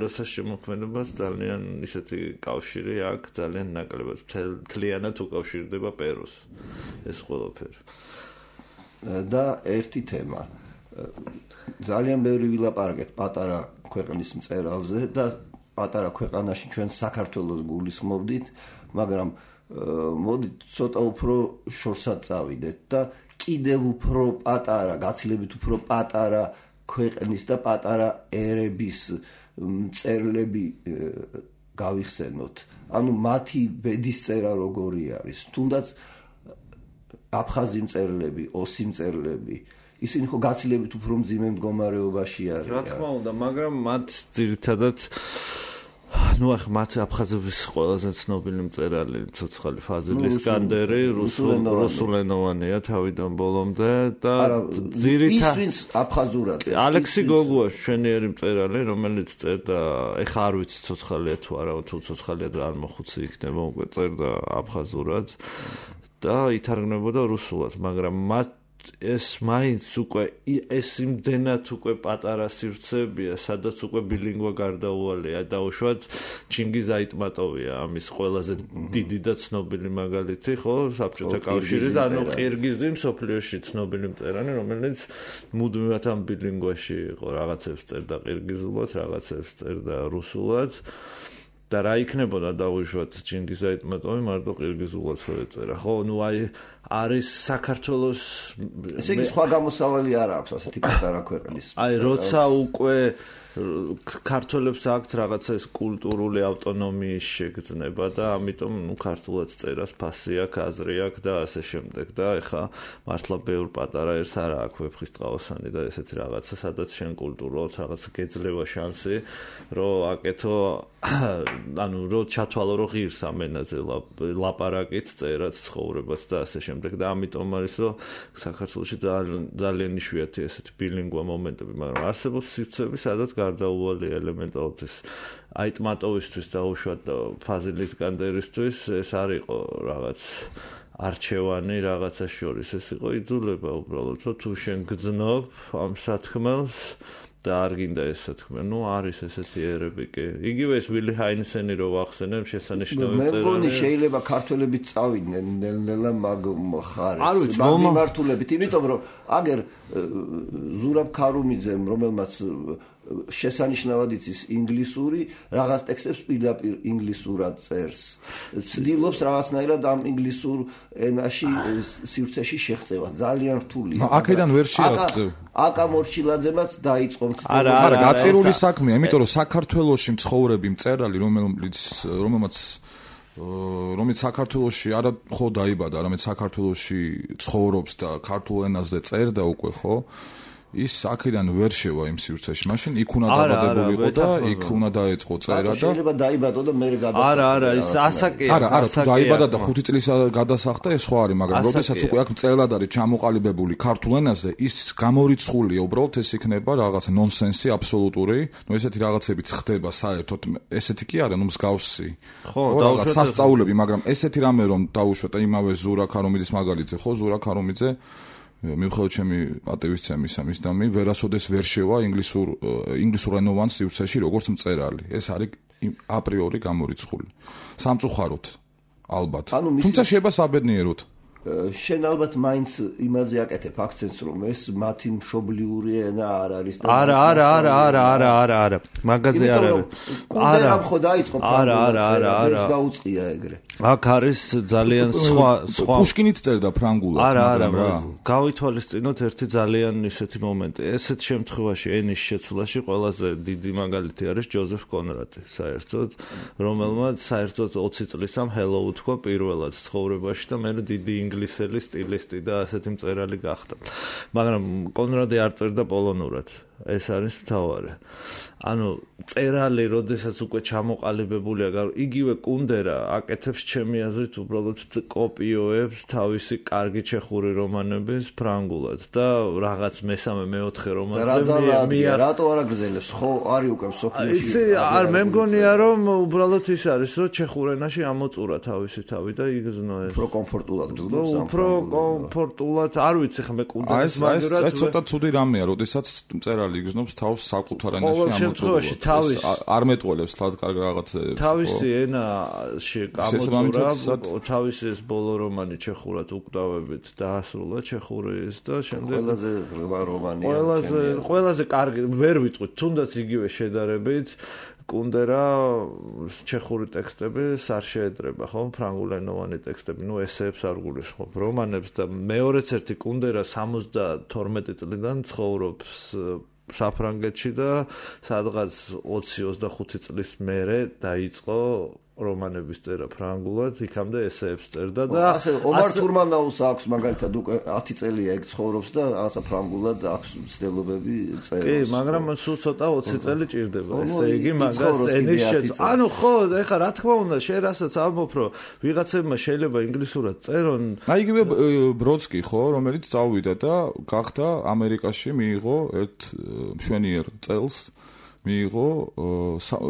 Speaker 3: ლიოსას შემოქმედებას ძალიან ისეთი კავშირი აქვს, ძალიან ნაკლებად მთლიანად უკავშირდება პერუს ეს ყველაფერი.
Speaker 2: და ერთი თემა. ძალიან ბევრი ვილაპარაკეთ პატარა ქვეყნის მწერალზე და პატარა ქვეყანაში ჩვენ საქართველოს გულისხმობდით, მაგრამ მოდით ცოტა უფრო შორსად წავიდეთ და კიდევ უფრო პატარა, გაცილებით უფრო პატარა ქვეყნის და პატარა ერების მწერლები გავიხსენოთ. ანუ მათი ბედის წერა როგორი არის? თუნდაც აფხაზი მწერლები, ოსი მწერლები, ისინი ხო გაცილებით უფრო მძიმე მდგომარეობაში არიან.
Speaker 3: რა თქმა უნდა, მაგრამ მათ ძირითადად ნუ ახლა მათ აფხაზების ყველაზე ცნობილი მწერალი ცოცხალი ფაზილი ისკანდერი რუსულენოვანია თავიდან ბოლომდე და
Speaker 2: ძირითადად ის ვინც აფხაზურად წერს.
Speaker 3: ალექსი გოგუა მშვენიერი მწერალი, რომელიც წერდა, ეხა არ ვიცი ცოცხალია თუ არა, თუ ცოცხალია და არ მოხუცი იქნება, უკვე წერდა აფხაზურად და ითარგმნებოდა რუსულად, მაგრამ მათ ეს მაინც უკვე ეს იმდენად უკვე პატარა სივრცეებია, სადაც უკვე ბილინგვა გარდაუვალია. დაუშვათ ჩინგიზ აიტმატოვია ამის ყველაზე დიდი და ცნობილი მაგალითი, ხო, საბჭოთა კავშირი და ანუ ყირგიზი მსოფლიოში ცნობილი მწერალი, რომელიც მუდმივად ამ ბილინგვაში იყო, რაღაცებს წერდა ყირგიზულად, რაღაცებს წერდა რუსულად. და რა იქნებოდა დაუშვათ ჩინგიზ აიტმატოვი მარტო ყირგიზულად რო ეწერა. ხო, ნუ აი არის საქართველოს
Speaker 2: ესე იგი სხვა გამოსავალი არ აქვს ასეთი პატარა ქვეყნის.
Speaker 3: აი როცა უკვე ქართველებს აქვთ რაღაცა ეს კულტურული ავტონომიის შეგრძნება და ამიტომ ქართულად წერას ფასი აქვს, აზრი აქვს და ასე შემდეგ და ეხა მართლა ბევრ პატარა ერთს არა აქვს ვეფხისტყაოსანი და ესეთი რაღაცა, სადაც შენ კულტურულად რაღაც გეძლევა შანსი, რომ აკეთო, ანუ რომ ჩათვალო, რომ ღირს ამ ენაზე ლაპარაკით, წერაც, ცხოვრებაც და ასე შემდეგ და ამიტომ არის, რომ საქართველოში ძალიან იშვიათია ესეთი ბილინგვა მომენტები, მაგრამ არსებობს სივრცეები, სადაც გარდაუვალი ელემენტალურად ეს აიტმატოვისთვის დაუშვათ ფაზილის განდერისთვის ეს არ იყო რაღაც არჩევანი რაღაცა შორის, ეს იყო იძულება უბრალოდ, რომ თუ შენ გძნობ ამ სათქმელს და არ გინდა ეს სათქმე, არის ესეთი ერები კი. იგივე ეს ვილი ჰაინსენი რო ვახსენებ, შესანიშნავი წერალი.
Speaker 2: მე მგონი შეიძლება ქართველებიც წავიდნენ ნელ-ნელა მაგ მხარეს, მაგ მიმართულებით, იმიტომ რომ აგერ ზურაბ ქარუმიძემ, რომელმაც შესანიშნავად იცის ინგლისური, რაღაც ტექსტებს პირდაპირ ინგლისურად წერს. ცდილობს რაღაცნაირად ამ ინგლისურ ენაში სივრცეში შეღწევას. ძალიან რთულია.
Speaker 1: აქედან ვერ შეაღწევ.
Speaker 2: აკა მორჩილაძემაც დაიწყო
Speaker 1: არა, გაწირული საქმეა, იმიტომ რომ საქართველოში მცხოვრები მწერალი, რომელიც საქართველოში არა ხო დაიბადა, არამედ საქართველოში ცხოვრობს და ქართულ ενაზე წერდა უკვე, ხო? ის აქედან ვერ შევა იმ სივრცეში. მაშინ იქ უნდა დაბადებულიყო და იქ უნდა დაეწყო წერა და
Speaker 2: შეიძლება დაიბადო და მე გადასახდა.
Speaker 3: არა, ის ასაკია.
Speaker 1: არა, თუ დაიბადა და 5 წლის გადასახდა, ეს სხვა არის, მაგრამ როდესაც უკვე აქ მწერლად არის ჩამოყალიბებული ქართულ ენაზე, ის გამორიცხულია, უბრალოდ ეს იქნება რაღაცა ნონსენსი აბსოლუტური. ესეთი რაღაცებიც ხდება საერთოდ, ესეთი კი არა, მსგავსი.
Speaker 3: ხო,
Speaker 1: რაღაც სასწაულები, მაგრამ ესეთი რამე რომ დაუშვათ იმავე ზურა ქარუმიძის მაგალითზე, ხო, ზურა ქარუმიძე მიუხედავად ჩემი პატივისცემისა მის დამი ვერასოდეს ვერ შევა ინგლისურენოვან სივრცეში როგორც მწერალი. ეს არის აპრიორი გამორიცხული. სამწუხაროდ ალბათ. თუმცა შეიძლება საბედნიეროდ.
Speaker 2: შენ ალბათ მაინც იმაზე აკეთებ აქცენტს, რომ ეს მათი მშობლიური ენა არ არის.
Speaker 3: არა. მაგაზე არ არის.
Speaker 2: კუნდერამ ხო დაიწყო ფრანგულად. ეს დაუწყია ეგრე.
Speaker 3: აქ არის ძალიან სხვა.
Speaker 1: პუშკინიც წერდა ფრანგულად,
Speaker 3: მაგრამ რა. გავითვალისწინოთ ერთი ძალიან ისეთი მომენტი. ესეთ შემთხვევაში ენის შეცვლაში ყველაზე დიდი მაგალითი არის ჯოზეფ კონრადი, საერთოდ, რომელმაც საერთოდ 20 წლის ამ ჰელო უთქვა პირველად ცხოვრებაში და მე დიდი ინგლისელი სტილისტი და ასეთი მწერალი გახდა. მაგრამ კონრადი არ წერდა პოლონურად. ეს არის მთავარი. ანუ წერალი, როდესაც უკვე ჩამოყალიბებულია, იგივე კუნდერა აკეთებს ჩემი აზრით უბრალოდ კოპიოებს თავისი კარგი ჩეხური რომანების ფრანგულად და რაღაც მესამე მეოთხე რომანზე
Speaker 2: რატო არ აგრძელებს? ხო, არის უკვე სოფლიოში.
Speaker 3: იცი, მე მგონია რომ უბრალოდ ის არის, რომ ჩეხურ ენაში ამოწურა თავისი თავი და იგრძნო ეს.
Speaker 2: უფრო კომფორტულად გრძნობს ამ.
Speaker 3: უფრო კომფორტულად, არ ვიცი ხმე კუნდერის
Speaker 1: მაგრამ ეს ცოტა ცუდი რამეა, როდესაც მწერალი იგრძნობს თავს საკუთარ ენაში ამოწურებს. არ მეტყოლებს თლად კარგ რაღაცებს.
Speaker 3: თავისი ენაში ამოწურა, თავისი ეს ბოლო რომანი ჩეხურად უკვდავებით დაასრულა ჩეხურის და შემდეგ
Speaker 2: ყველაზე ღრმა რომანია.
Speaker 3: ყველაზე კარგი ვერ ვიტყვით, თუნდაც იგივე შედარებით კუნდერა ჩეხური ტექსტები არ შეედრება, ხო, ფრანგულენოვანი ტექსტები, ესეებს არ გულისხმობ, რომანებს და მეორეც ერთი კუნდერა 72 წლიდან ცხოვრობს საფრანგეთში და სადღაც 20-25 წლის მერე დაიწყო რომანების წერა ფრანგულად, იქამდე ესეებს წერდა და
Speaker 2: ასე ომარ თურმანაუს აქვს მაგალითად უკვე 10 წელია ეგ ცხოვრობს და ასა ფრანგულად აქვს მცდელობები წეროს.
Speaker 3: კი, მაგრამ სულ ცოტა 20 წელი ჭირდება. ესე იგი მაგას ენის შეცვლა. ანუ ხო, ეხლა რა თქმა უნდა, შენ რასაც ამბობ, რომ ვიღაცებმა შეიძლება ინგლისურად წერონ.
Speaker 1: იგივე ბროდსკი ხო, რომელიც წავიდა და გახდა ამერიკაში მიიღო ერთ მშვენიერ წელს მიიღო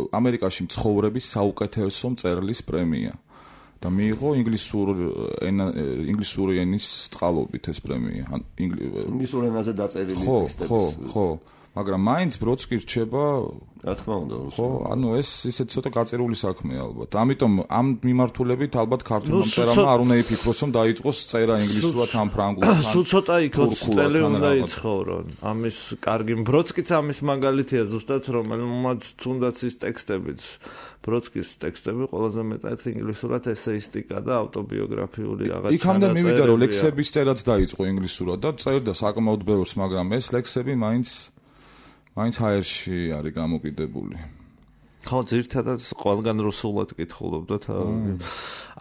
Speaker 1: ამერიკაში მცხოვრების საუკეთესო მწერლის პრემია და მიიღო ინგლისური ენის წყალობით ეს პრემია.
Speaker 2: ინგლისურ ენაზე დაწერილი ტექსტები.
Speaker 1: ხო, მაგრამ მაინც ბროდსკი რჩება,
Speaker 2: რა თქმა უნდა.
Speaker 1: ხო, ანუ ეს ისეთ ცოტა გაწირული საქმეა ალბათ. ამიტომ ამ მიმართულებით ალბათ ქართულმა მწერალმა არ უნდა იფიქროს, რომ დაიწყოს წერა ინგლისურად ან ფრანგულად.
Speaker 3: სულ ცოტა 20 წელი უნდა იცხოვრონ. ამის კარგი ბროდსკიც ამის მაგალითია ზუსტად, რომელმაც თუნდაც ის ტექსტებიც ბროდსკის ტექსტები ყველაზე მეტად ინგლისურად ესეისტიკა და ავტობიოგრაფიული რაღაც.
Speaker 1: იქამდე მივიდა რომ ლექსების წერაც დაიწყო ინგლისურად და წერდა საკმაოდ ბევრს, მაგრამ ეს ლექსები მაინც მაინც ჰაერში არის გამოკიდებული.
Speaker 3: ხო, ძირითადად ყველგან რუსულად კითხულობდათ.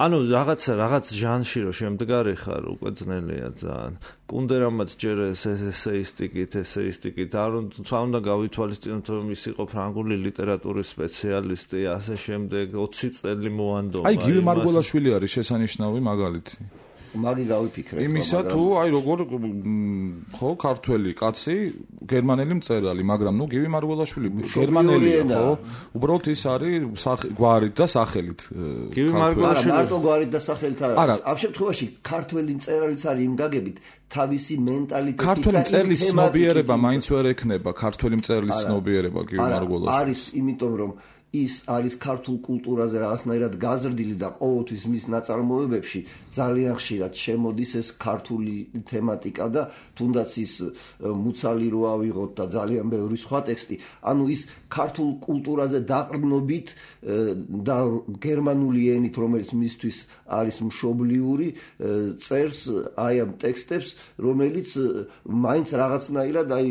Speaker 3: ანუ რაღაც ჟანრში რო შემდგარი ხარ, უკვე ძნელია ძალიან. კუნდერამაც ჯერ ესეისტიკით, არ უნდა გავითვალისწინოთ, რომ ის იყო ფრანგული ლიტერატურის სპეციალისტი, ასე შემდეგ 20 წელი მოანდომა.
Speaker 1: აი, გივი მარგველაშვილი არის შესანიშნავი მაგალითი.
Speaker 2: მაგი გავიფიქრე.
Speaker 1: იმისა თუ აი როგორ ხო ქართველი კაცი, გერმანელი მწერალი, მაგრამ ნუ გივი მარგველაშვილი გერმანელია, ხო? უბრალოდ ის არის გვარით და სახელით.
Speaker 3: გივი მარგველაშვილი
Speaker 2: მარტო გვარით და სახელით არის. ამ შემთხვევაში ქართველი მწერალიც არის იმ გაგებით თავისი მენტალიტეტით.
Speaker 1: ქართველი მწერლის ცნობიერება მაინც ვერ ექნება, ქართველი მწერლის ცნობიერება გივი მარგველაშვილი.
Speaker 2: არის, იმიტომ რომ ის არის ქართულ კულტურაზე რაღაცნაირად გაზრდილი და ყოველთვის მის ნაწარმოებებში ძალიან ხშირად შემოდის ეს ქართული თემატიკა და თუნდაც ის მუცალი რო ავიღოთ და ძალიან ბევრი სხვა ტექსტი, ანუ ის ქართულ კულტურაზე დაყრდნობით და გერმანული ენით, რომელიც მისთვის არის მშობლიური, წერს აი ამ ტექსტებს, რომელიც მაინც რაღაცნაირად აი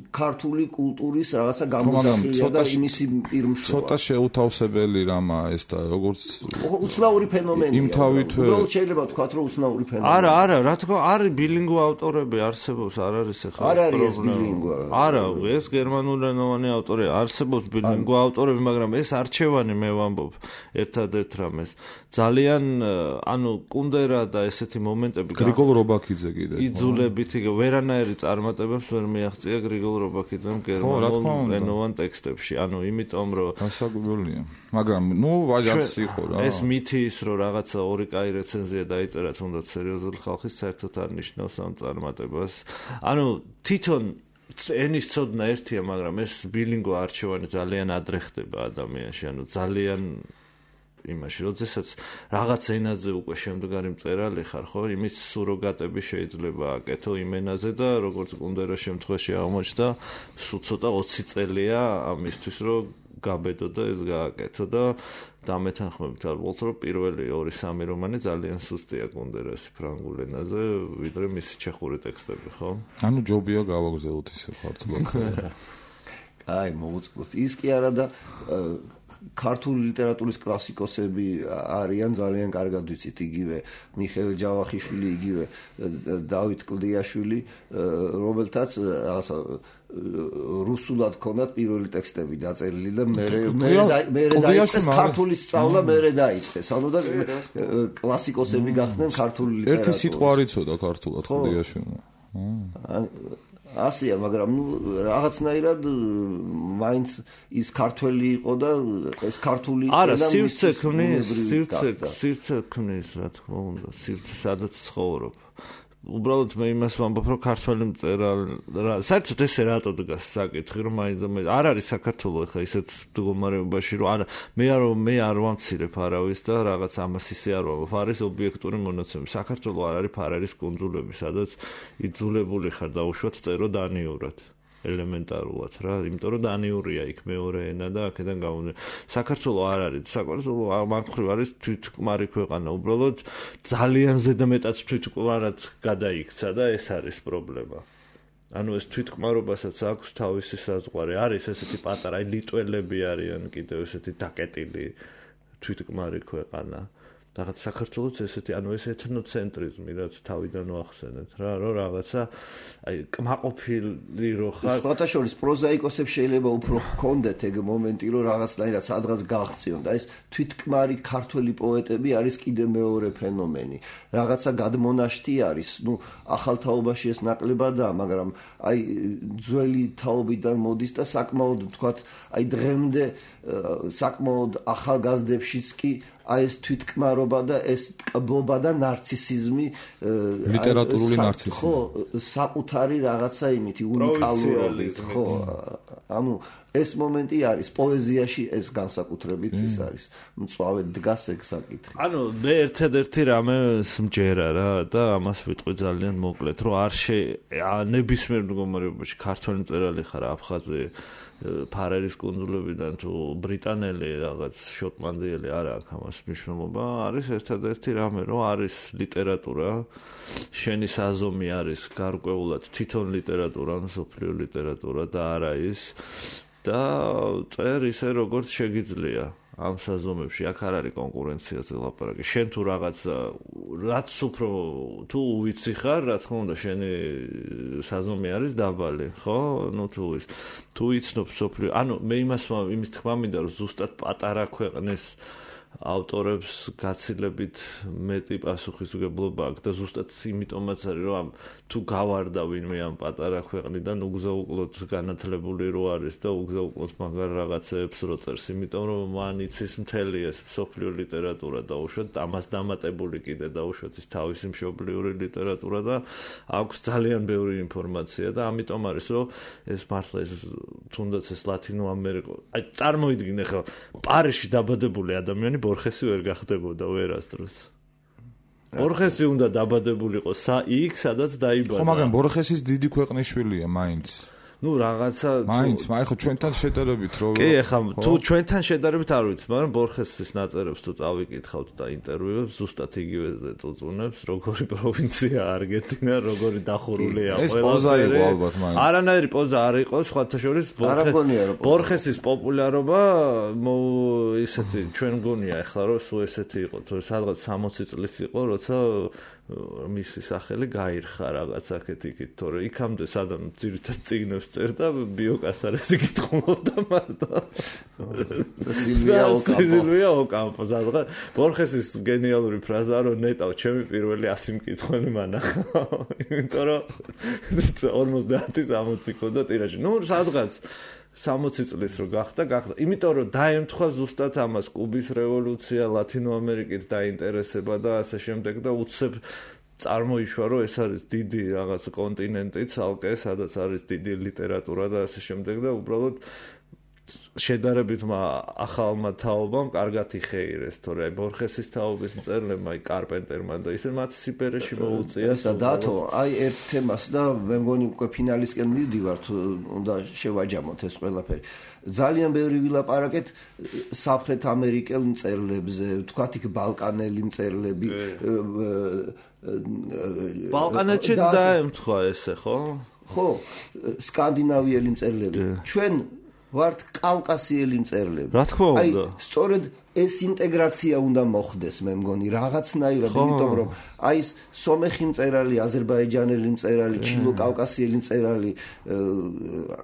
Speaker 2: ქართული კულტურის რაღაცა გამოძახილია და იმისი პირმშობლია.
Speaker 1: ცოტა შეუთავსებელი რამა ეს და როგორც
Speaker 2: უცნაური ფენომენია.
Speaker 1: იმთავითვე
Speaker 2: უბრალოდ შეიძლება ვთქვათ, რომ უცნაური ფენომენია.
Speaker 3: არა, რა თქმა უნდა, არის ბილინგვა ავტორები არსებობს, არ არის ახლა.
Speaker 2: არ არის ეს ბილინგვა.
Speaker 3: არა, ეს გერმანულენოვანი ავტორი არსებობს ბილინგვა ავტორები, მაგრამ ეს არჩევანი მე ვამბობ ერთადერთ რამეს. ძალიან, ანუ კუნდერა და ესეთი მომენტები
Speaker 1: გრიგოლ რობაქიძე კიდე.
Speaker 3: იძულებითი ვერანაირი წარმატებებს ვერ მიაღწია გრიგოლ რობაქიძემ გერმანულენოვან ტექსტებში. ანუ იმიტომ რომ
Speaker 1: ასაგებელია. მაგრამ ნუ ვაჟაც იყო რა.
Speaker 3: ეს მითი ის რომ რაღაცა ორი კაი რეცენზია დაიწერა თუნდაც სერიოზული ხალხის საერთოდ არ ნიშნავს ამ წარმატებას. ანუ თვითონ ენის ცოდნა ერთია, მაგრამ ეს ბილინგვა არჩევანი ძალიან ადრე ხდება ადამიანში, ანუ ძალიან იმაში, როდესაც რაღაც ენაზე უკვე შემდგარი მწერალი ხარ, ხო, იმის სუროგატები შეიძლება აკეთო იმ ენაზე და როგორც კუნდერას შემთხვევაში აღმოჩნდა, სულ ცოტა 20 წელია ამისთვის, რომ გაბედო და ეს გააკეთო და დამეთანხმებით ალბათ რომ პირველი 2-3 რომანი ძალიან სუსტია კუნდერასი ფრანგულ ენაზე, ვიდრე მისი ჩეხური ტექსტები, ხო?
Speaker 1: ანუ ჯობია გავაგზავნოთ ისე ქართულად.
Speaker 2: აი, მოუწყოთ. ის კი არა და ქართული ლიტერატურის კლასიკოსები არიან ძალიან კარგად ვიცით, იგივე მიხეილ ჯავახიშვილი, იგივე დავით კლდიაშვილი, რომელთაც რუსულად ქონდათ პირველი ტექსტები დაწერილი და მე დაიწყეს ქართული სწავლა, მე დაიწყეს. ანუ და კლასიკოსები გახდნენ ქართული ლიტერატურის.
Speaker 1: ერთი სიტყვა არ იცოდა ქართულად კლდიაშვილმა.
Speaker 2: ასია, მაგრამ ნუ რაღაცნაირად მაინც ის ქართველი იყო და ეს ქართული
Speaker 3: არა, სივრცე ქმნის, რა თქმა უნდა, სივრცე სადაც ცხოვრობ. უბრალოდ მე იმას ვამბობ, რომ ქართველი მწერალი საერთოდ ესე რატო დგას საკითხი, რომ არ არის საქართველოს ხა ისეთ მდგომარეობაში, რომ არა, მე არ ვამცირებ არავის და რაღაც ამას ისე არ ვამბობ, არის ობიექტური მონაცემები. საქართველოს არ არის ფარერის კუნძულები, სადაც იძულებული ხარ დაუშვათ წერო დანიურად. ელემენტარულად რა, იმიტომ რომ დანიურია იქ მეორე ენა და აქედან გამომდინარე. საქართველოს არ არის, საქართველოს მაგხრივ არის თვითკმარი ქვეყანა, უბრალოდ ძალიან ზედამეტად თვითკმარად გადაიქცა და ეს არის პრობლემა. ანუ ეს თვითკმარობასაც აქვს თავისი საზღვარი. არის ესეთი პატარა, აი ლიტველები არიან კიდევ ესეთი დაკეტილი თვითკმარი ქვეყანა. რაღაც საქართველოს ესეთი, ანუ ეს ეთნოცენტრიზმი, რაც თავიდან ვახსენეთ რა, რომ რაღაცა აი კმაყოფილი რო ხარ.
Speaker 2: სხვათა შორის პროზაიკოსებს შეიძლება უფრო ჰქონდეთ ეგ მომენტი, რომ რაღაცნაირად სადღაც გაღწიონ და ეს თვითკმარი ქართველი პოეტები არის კიდე მეორე ფენომენი. რაღაცა გადმონაშთი არის, ნუ ახალ თაობაში ეს ნაკლებადაა, მაგრამ აი ძველი თაობიდან მოდის და საკმაოდ ვთქვათ, აი დღემდე საკმაოდ ახალგაზრდებშიც კი აი ეს თვითკმარობა და ეს ტკბობა და ნარცისიზმი,
Speaker 1: ლიტერატურული ნარცისიზმი.
Speaker 2: ხო, საკუთარი რაღაცა იმითი უნიკალურობით, ხო. ანუ ეს მომენტი არის პოეზიაში ეს განსაკუთრებით ის არის მწვავედ დგას ეგ საკითხი
Speaker 3: ანუ მე ერთადერთი რამე მჯერა რა და ამას ვიტყვი ძალიან მოკლედ რომ არ ნებისმიერ მდგომარეობაში ქართველი მწერალი ხარ აფხაზი ფარერის კუნძულებიდან თუ ბრიტანელი რაღაც შოტლანდიელი არა აქვს ამას მნიშვნელობა არის ერთადერთი რამე რომ არის ლიტერატურა შენი საზომი არის გარკვეულად თვითონ ლიტერატურა მსოფლიო ლიტერატურა და არა ის და წერ ისე როგორც შეგიძლია ამ საზომებში აქ არ არის კონკურენციაზე ლაპარაკი შენ თუ რაღაც რაც უფრო თუ უიცი ხარ რა თქმა უნდა შენი საზომი არის დაბალი ხო ნუ თუ იცნობ სოფლიო ანუ მე იმის თქმა მინდა რომ ზუსტად პატარა ქვეყნის ავტორებს გაცილებით მეტი პასუხისმგებლობა აქვს და ზუსტად იმიტომაც არის რომ თუ გავარდა ვინმე ამ პატარა ქვეყნიდან უგზაუკლოდ განათლებული რო არის და უგზაუკლოდ მაგარ რაღაცებს რო წერს იმიტომ რომ მან იცის მთელი ეს სოფლიო ლიტერატურა დაუშვათ ამას დამატებული კიდე დაუშვათ ის თავისი მშობლიური ლიტერატურა და აქვს ძალიან ბევრი ინფორმაცია და ამიტომ არის რომ ეს მართლა ეს თუნდაც ეს ლათინო ამერიკა აი წარმოიდგინე ხა პარიზში დაბადებული ადამიანი ბორხესი ვერ გახდებოდა ვერასდროს. ბორხესი უნდა დაბადებულიყო იქ, სადაც დაიბადა.
Speaker 1: ხო, მაგრამ ბორხესის დიდი ქვეყნის შვილია მაინც.
Speaker 3: ნუ რაღაცა
Speaker 1: მაინც, ხო ჩვენთან შედარებით რო
Speaker 3: კი, ახლა თუ ჩვენთან შედარებით არ ვიცი, მაგრამ ბორხესის ნაწერებს თუ წავიკითხავთ და ინტერვიუებს, ზუსტად იგივე წუწუნებს, როგორი პროვინცია არგენტინა, როგორი დახურულია
Speaker 1: ყველა. ეს პოზა იყო ალბათ მაინც.
Speaker 3: არანაირი პოზა არ იყო, სხვათა შორის ბორხესის პოპულარობა ისეთი ჩვენ მგონია ახლა რომ სულ ესეთი იყო, თუ სადღაც 60 წლის იყო, როცა მისი სახელი გაირხა რაღაც აქეთ-იქით, თორე იქამდე სადამ ძირითად წიგნებს წერდა ბიოკასარესი კითხულობდა მარტო. სილვია ოკამპო სადღაც ბორხესის გენიალური ფრაზაა რომ ნეტავ ჩემი პირველი 100 მკითხველი მანახა. იმიტომ რომ 50-60 ქონდა ტირაჟი. ნუ სადღაც 60 წლის რო გახდა. იმიტომ რომ დაემთხვა ზუსტად ამას კუბის რევოლუცია, ლათინო ამერიკით დაინტერესება და ასე შემდეგ და უცებ წარმოიშვა რომ ეს არის დიდი რაღაც კონტინენტი, ცალკე, სადაც არის დიდი ლიტერატურა და ასე შემდეგ და უბრალოდ შედარებით ახალმა თაობამ კარგად იხეირეს, თორე ბორხესის თაობის მწერლებმა, კარპენტერმა და ისე მათ სიბერეში მოუწია.
Speaker 2: და დათო, აი ერთ თემას და მე მგონი უკვე ფინალისკენ მივდივართ, უნდა შევაჯამოთ ეს ყველაფერი. ძალიან ბევრი ვილაპარაკეთ სამხრეთ ამერიკელ მწერლებზე, თქვათ იქ ბალკანელი მწერლები.
Speaker 3: ბალკანეთშიც დაემთხვა ესე, ხო?
Speaker 2: ხო, სკანდინავიელი მწერლები. ჩვენ ვართ კავკასიელი მწერლები.
Speaker 3: რა თქმა უნდა.
Speaker 2: აი, სწორედ ეს ინტეგრაცია უნდა მოხდეს, მე მგონი, რაღაცნაირად, იმიტომ რომ აი ეს სომეხი მწერალი, აზერბაიჯანელი მწერალი, ჩილო-კავკასიელი მწერალი,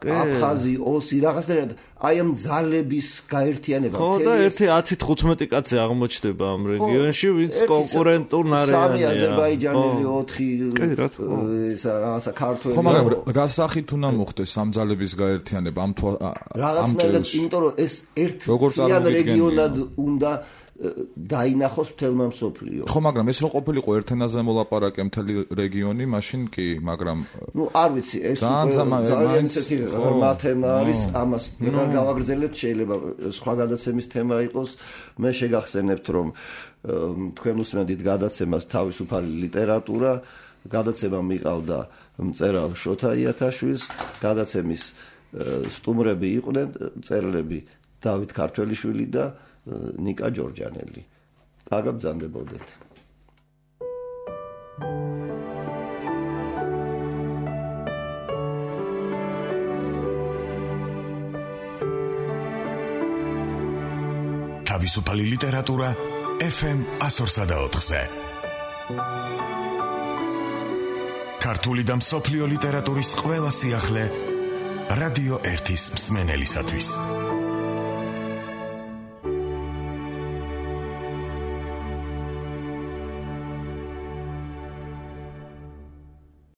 Speaker 2: აფხაზი, ოსი, რაღაცნაირად აი ამ ძალების გაერთიანება.
Speaker 3: ხო, და 10-15 კაცი აღმოჩნდება ამ რეგიონში, ვინც კონკურენტულ ნარიანია.
Speaker 2: 3 აზერბაიჯანელი, 4 ეს რაღაცა ქართველი.
Speaker 1: ხო, მაგრამ რა სახით უნდა მოხდეს ამ ძალების გაერთიანება ამ
Speaker 2: რაღაცნაირად, იმიტომ რომ ეს ერთ რეგიონად უნდა დაინახოს მთელმა მსოფლიო.
Speaker 1: ხო, მაგრამ ეს რო ყოფილიყო ერთ ენაზე მოლაპარაკე მთელი რეგიონი, მაშინ კი, მაგრამ
Speaker 2: ნუ არ ვიცი, ეს ძალიან ისეთი ღრმა თემა არის, ამას ვერ გავაგრძელებთ, შეიძლება სხვა გადაცემის თემა იყოს. მე შეგახსენებთ, რომ თქვენ უსმენთ გადაცემას თავისუფალი ლიტერატურა, გადაცემა მიყავდა მწერალ შოთა იათაშვილს, გადაცემის სტუმრები იყვნენ მწერლები დავით ქართველიშვილი და ნიკა ჯორჯანელი. კარგად ბრძანდებოდეთ.
Speaker 4: თავისუფალი ლიტერატურა FM 104.4-ზე. ქართული და მსოფლიო ლიტერატურის ყველა სიახლე რადიო 1-ის მსმენელისათვის.